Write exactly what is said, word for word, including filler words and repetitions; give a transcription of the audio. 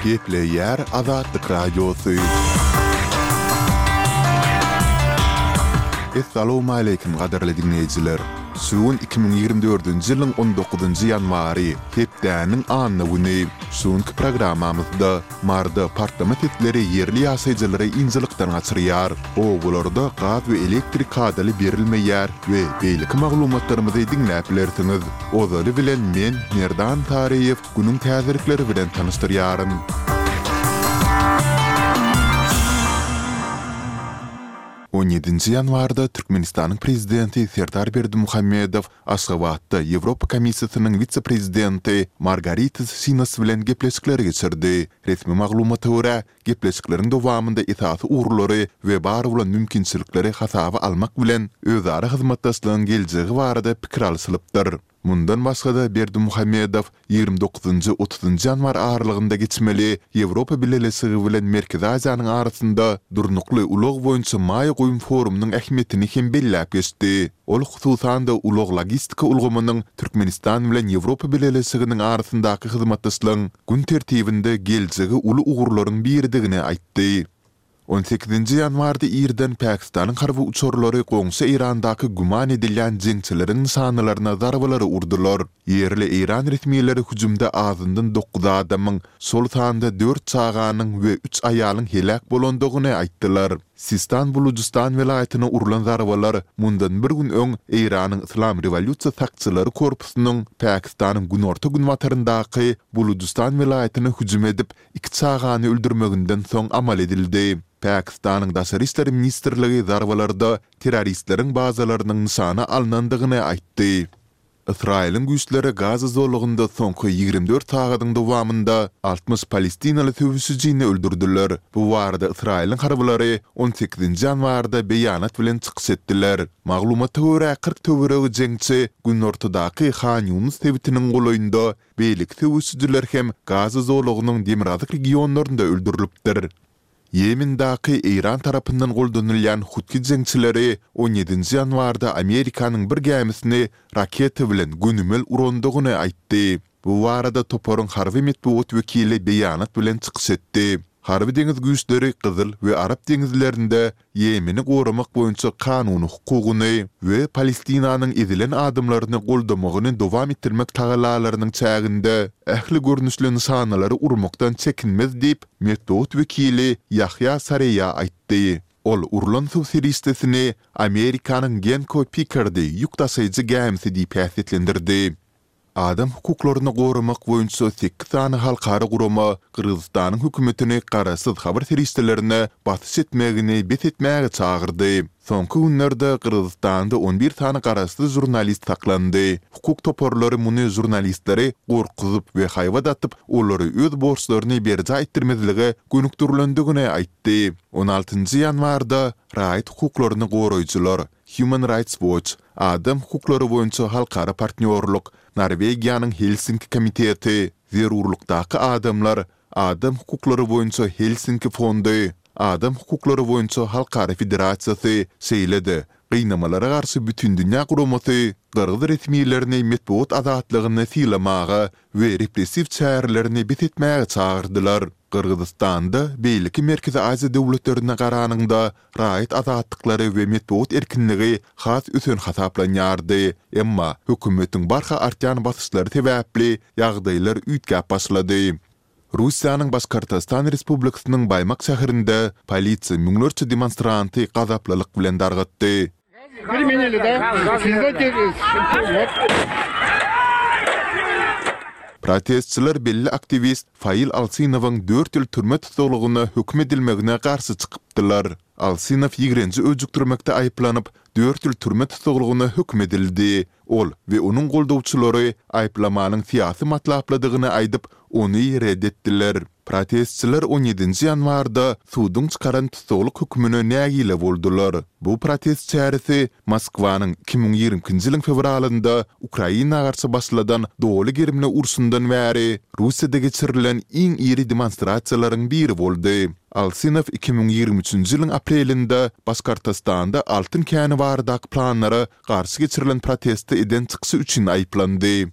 Gepleýär Azatlyk Radiosy. Essalawmaleýkim gadyrly diňleýjiler! Şu gün iki müň ýigrimi dördünji ýylyň on dokuzynjy ýanwary, hepdäniň anna güni. Şu günki programmamyzda Maryda partlama sesleri ýerli ýaşaýjylary ynjalykdan gaçyrýar, obalarda gaz we elektrik kadaly berilmeýär we beýleki maglumatlarymyzy diňläp bilersiňiz. Ozaly bilen men, Merdan Taryýew, günüň täzelikleri bilen tanyşdyrýaryn. On ýedinji ýanwarda Türkmenistanyň Prezidenti Serdar Berdimuhamedow Aşgabatda Ýewropa Komissiýasynyň wise-prezidenti Margaritis Şinas bilen gepleşikleri geçirdi. Resmi maglumata görä, gepleşikleriň dowamynda esasy ugurlary we bar bolan mümkinçilikleri hasaba almak bilen, özara hyzmatdaşlygyň geljegi barada pikir alşylypdyr. Mundan başga-da, Berdimuhamedow ýigrimi dokuzynjy, otuzynjy ýanwar aralygynda geçmeli Ýewropa Bileleşigi bilen Merkezi Aziýanyň arasynda durnukly ulag boýunça maýa goýum forumynyň ähmiýetini hem belläp geçdi. Ol hususan-da ulag-logistika ulgamynyň Türkmenistan bilen Ýewropa Bileleşiginiň arasyndaky hyzmatdaşlygyň gün tertibinde geljegi uly ugurlaryň biridigini aýtdy. On sekizinji ýanwarda irden Pakistanyň harby uçarlary goňşy Eýrandaky güman edilýän jeňçileriň nyşanalaryna zarbalary urdular. Ýerli eýran resmileri hüjümde azyndan dokuz adamyň, şol sanda dört çaganyň we üç aýalyň heläk bolandygyny aýtdylar. Sistan-Bulujystan welaýatyna urlan zarbalar mundan bir gün öň Eýranyň Yslam rewolýusiýa sakçylary korpusynyň Pakistanyň günorta-günbataryndaky Bulujystan welaýatyna hüjüm edip, iki çagany öldürmeginden soň amal edildi. Pakistanyň Daşary işler ministrligi zarbalarda terroristleriň bazalarynyň nyşana alnandygyny aýtdy. Ysraýylyň güýçleri Gaza zolagynda soňky ýigrimi dört sagadyň dowamynda altmyş palestinaly söweşijini öldürdiler. Bu barada Ysraýylyň harbylary on sekizinji ýanwarda beýanat bilen çykyş etdiler. Maglumata görä, kyrk töweregi jeňçi günortadaky Han Ýunus sebitiniň golaýynda Beýleki söweşijiler hem Gaza zolagynyň demirgazyk regionlarynda öldürilipdir. Ýemendaky Eýran tarapyndan goldanylýan Huthi jeňçileri on ýedinji ýanwarda Amerikanyň bir gämisini raketa bilen gönümel urandygyny aýtdy. Bu barada toparyň harby metbugat wekili beýanat bilen çykyş etdi. Harby-deňiz güýçleri Gyzyl we Arap deňizlerinde Ýemeni goramak boýunça kanuny hukugyny we Palestinanyň ezilen adamlaryny goldamagyny dowam etdirmek tagallalarynyň çäginde ähli görnüşli nyşanalary urmakdan çekinmez diýip, metbugat wekili Ýahýa Sareýa aýtdy. Ol urlan suw serişdesini Amerikanyň Genco Pikardy ýük daşaýjy gämisi diýip häsiýetlendirdi. Adam hukuklaryny goramak boýunça sekiz sany halkara gurama Gyrgyzystanyň hökümetini garaşsyz habar serişdelerine basyş etmegini bes etmäge çagyrdy. Soňky günlerde Gyrgyzystanda on bir sany garaşsyz žurnalist saklandy. Hukuk toparlary muny žurnalistleri gorkuzyp we haýbat atyp, olary öz borçlaryny berjaý etdirmezlige gönükdirilendigini aýtdy. On altynjy ýanwarda raýat hukuklaryny goraýjylar, Human Rights Watch, Adam hukuklary boýunça halkara partnýorlyk, Norwegiýanyň Helsinki komiteti, Zerurlykdaky adamlar, Adam hukuklary boýunça Helsinki fondy, Adam hukuklary boýunça halkara federasiýasy, şeýle-de Gynamalara garşy bütindünýä guramasy gyrgyz resmilerini metbugat azatlygyny sylamaga we repressiw çärelerini bes etmäge çagyrdylar. Gyrgyzystanda beýleki Merkezi Aziýa döwletlerine garanyňda raýat azatlyklary we metbugat erkinligi has ösen hasaplanýardy. Emma hökümetiň barha artýan basyşlary sebäpli ýagdaýlar üýtgäp başlady. Russiýanyň Başkortostan Respublikasynyň Baýmak şäherinde polisiýa müňlerçe demonstranty gazaplylyk bilen dargatdy. Protestçiler belli aktiwist Fail Alsynowyň dört ýyl türme tussaglygyna höküm edilmegine garşy çykypdylar. Alsynow ýigrenji öjükdirmekde aýyplanyp, dört ýyl türme tussaglygyna höküm edildi. Ol we onuň goldawçylary aýyplamanyň syýasy matlaplydygyny aýdyp, ony ret etdiler. Protestçiler on ýedinji ýanwarda suduň çykaran tussaglyk hökümine nägile boldular. Bu protest çäresi Moskwanyň iki müň ýigrimi ikinji ýylyň fewralynda Ukraina garşy başladan doly gerimli urşundan bäri Russiýada geçirilen iň iri demonstrasiýalaryň biri boldy. Alsynow iki müň ýigrimi üçünji ýylyň aprelinde Başkortostanda altyn käni baradaky planlara garşy geçirilen protestde eden çykyşy üçin aýyplandy.